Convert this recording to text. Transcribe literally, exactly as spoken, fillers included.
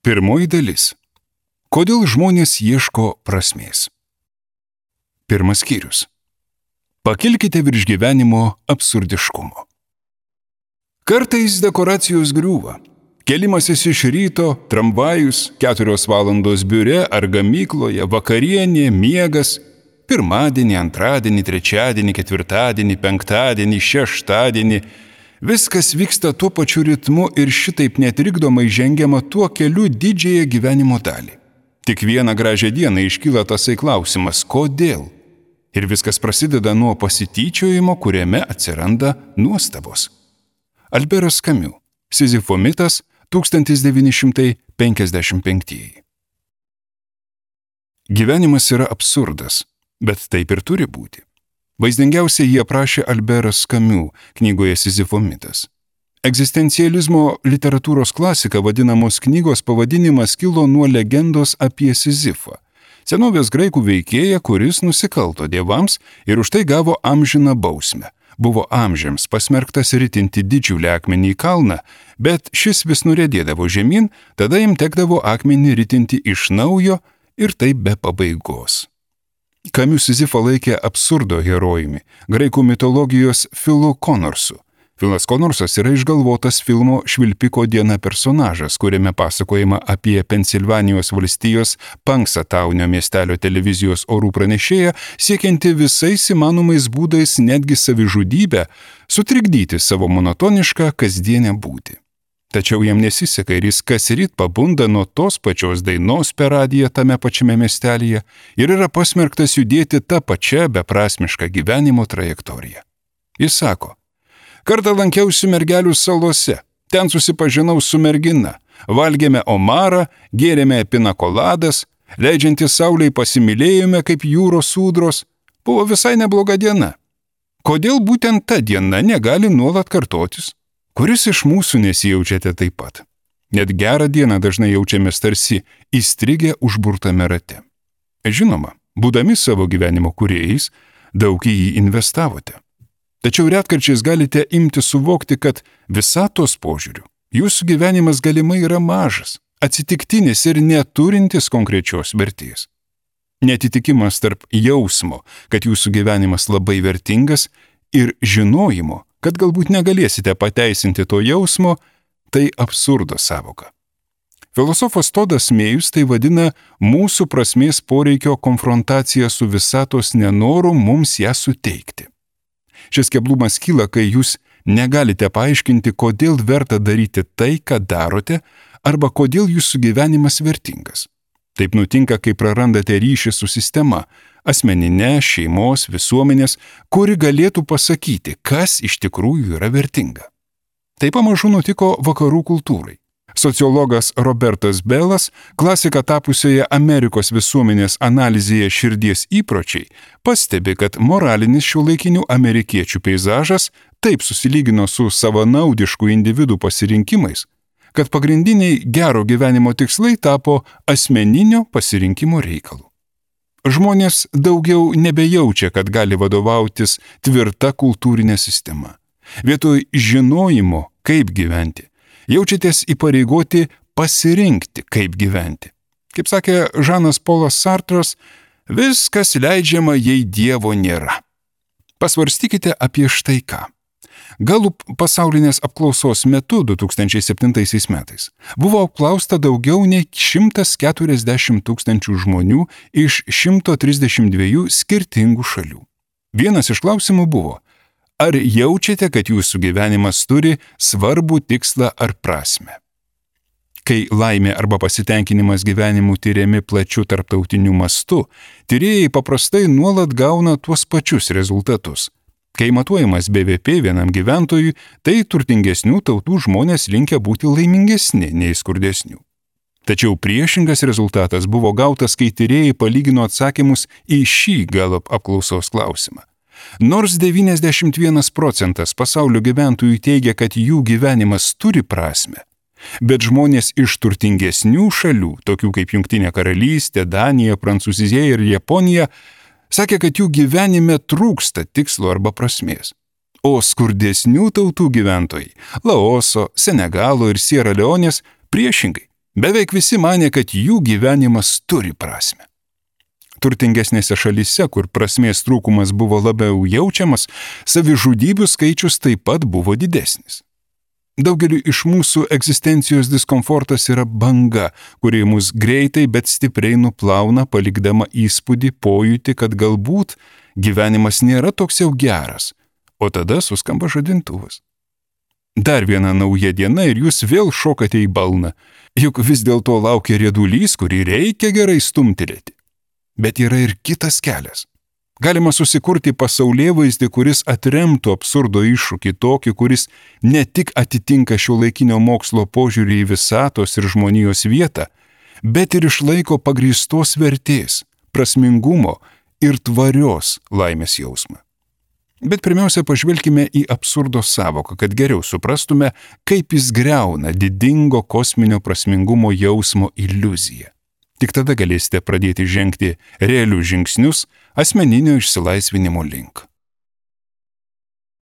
Pirmoji dalis. Kodėl žmonės ieško prasmės? Pirmas skyrius. Pakilkite virš gyvenimo absurdiškumo. Kartais dekoracijos griūva. Kelimasis iš ryto, tramvajus, keturios valandos biure ar gamykloje, vakarienė, miegas, pirmadienį, antradienį, trečiadienį, ketvirtadienį, penktadienį, šeštadienį. Viskas vyksta tuo pačiu ritmu ir šitaip netrikdomai žengiama tuo keliu didžiąją gyvenimo dalį. Tik vieną gražią dieną iškyla tasai klausimas, kodėl? Ir viskas prasideda nuo pasityčiojimo, kuriame atsiranda nuostabos. Alberas Kamiu, Sizifo mitas, tūkstantis devyni šimtai penkiasdešimt penktieji. Gyvenimas yra absurdas, bet taip ir turi būti. Vaizdingiausiai jį aprašė Alberas Kamiu knygoje Sizifo mitas. Egzistencializmo literatūros klasika vadinamos knygos pavadinimas kilo nuo legendos apie Sizifą, senovės graikų veikėją, kuris nusikalto dievams ir už tai gavo amžiną bausmę. Buvo amžiams pasmerktas ritinti didžiulį akmenį į kalną, bet šis vis nuriedėdavo žemyn, tada jam tekdavo akmenį ritinti iš naujo ir taip be pabaigos. Kamiu Sizifą laikė absurdo herojumi, graikų mitologijos Filu Konorsu. Filas Konorsas yra išgalvotas filmo Švilpiko diena personažas, kuriame pasakojama apie Pensilvanijos valstijos Punxsutawnio miestelio televizijos orų pranešėją, siekianti visais įmanomais būdais netgi savižudybę, sutrikdyti savo monotonišką kasdienę būtį. Tačiau jam nesiseka ir jis kasryt pabunda nuo tos pačios dainos per radiją tame pačiame miestelyje ir yra pasmerktas judėti tą pačią beprasmišką gyvenimo trajektoriją. Jis sako, kartą lankiausi Mergelių salose, ten susipažinau su mergina, valgėme omarą, gėrėme pinakoladas, leidžiantis saulei pasimylėjome kaip jūros sūdros, buvo visai nebloga diena. Kodėl būtent ta diena negali nuolat kartotis? Kuris iš mūsų nesijaučiate taip pat? Net gerą dieną dažnai jaučiamės tarsi įstrigę užburtame rate. Žinoma, būdami savo gyvenimo kūrėjais, daug į jį investavote. Tačiau retkarčiais galite imti suvokti, kad visatos požiūriu jūsų gyvenimas galimai yra mažas, atsitiktinis ir neturintis konkrečios vertės. Neatitikimas tarp jausmo, kad jūsų gyvenimas labai vertingas, ir žinojimo, kad galbūt negalėsite pateisinti to jausmo, tai absurdo sąvoka. Filosofas Todas Mėjus tai vadina mūsų prasmės poreikio konfrontacija su visatos nenoru mums ją suteikti. Šis keblumas kyla, kai jūs negalite paaiškinti, kodėl verta daryti tai, ką darote, arba kodėl jūsų gyvenimas vertingas. Taip nutinka, kai prarandate ryšį su sistema, asmeninė, šeimos, visuomenės, kuri galėtų pasakyti, kas iš tikrųjų yra vertinga. Tai pamažu nutiko vakarų kultūrai. Sociologas Robertas Belas, klasika tapusioje Amerikos visuomenės analizėje širdies įpročiai, pastebi, kad moralinis šiuolaikinių amerikiečių peizažas taip susilygino su savanaudiškų individų pasirinkimais, kad pagrindiniai gero gyvenimo tikslai tapo asmeninio pasirinkimo reikalu. Žmonės daugiau nebejaučia, kad gali vadovautis tvirta kultūrinė sistema. Vietoj žinojimo, kaip gyventi, jaučiatės įpareigoti pasirinkti, kaip gyventi. Kaip sakė Žanas Polas Sartras, viskas leidžiama, jei Dievo nėra. Pasvarstykite apie štai ką. Galup pasaulinės apklausos metu du tūkstančiai septintaisiais metais buvo apklausta daugiau nei šimtas keturiasdešimt tūkstančių žmonių iš šimto trisdešimt dviejų skirtingų šalių. Vienas iš klausimų buvo, ar jaučiate, kad jūsų gyvenimas turi svarbų tikslą ar prasmę? Kai laimė arba pasitenkinimas gyvenimu tyriami plačiu tarptautiniu mastu, tyrėjai paprastai nuolat gauna tuos pačius rezultatus. Kai matuojamas B V P vienam gyventojui, tai turtingesnių tautų žmonės linkę būti laimingesni nei skurdesnių. Tačiau priešingas rezultatas buvo gautas, kai tyrėjai palygino atsakymus į šį Gallup apklausos klausimą. Nors devyniasdešimt vienas procentas pasaulio gyventojų teigia, kad jų gyvenimas turi prasmę, bet žmonės iš turtingesnių šalių, tokių kaip Jungtinė karalystė, Danija, Prancūzija ir Japonija, sakė, kad jų gyvenime trūksta tikslo arba prasmės. O skurdesnių tautų gyventojai, Laoso, Senegalo ir Siera Leonės, priešingai, Beveik visi manė, kad jų gyvenimas turi prasme. Turtingesnėse šalyse, kur prasmės trūkumas buvo labiau jaučiamas, savižudybių skaičius taip pat buvo didesnis. Daugeliu iš mūsų egzistencijos diskomfortas yra banga, kuri mus greitai, bet stipriai nuplauna, palikdama įspūdį, pojūtį, kad galbūt gyvenimas nėra toks jau geras, o tada suskamba žadintuvas. Dar viena nauja diena ir jūs vėl šokate į balną, juk vis dėlto laukia riedulys, kurį reikia gerai stumtelėti. Bet yra ir kitas kelias. Galima susikurti pasaulėvaizdį, kuris atremtų absurdo iššūkį tokį, kuris ne tik atitinka šiuolaikinio mokslo požiūrį į visatos ir žmonijos vietą, bet ir išlaiko pagrįstos vertės, prasmingumo ir tvarios laimės jausmą. Bet pirmiausia, pažvelkime į absurdo savoką, kad geriau suprastume, kaip jis griauna didingo kosminio prasmingumo jausmo iliuziją. Tik tada galėsite pradėti žengti realius žingsnius asmeninio išsilaisvinimo link.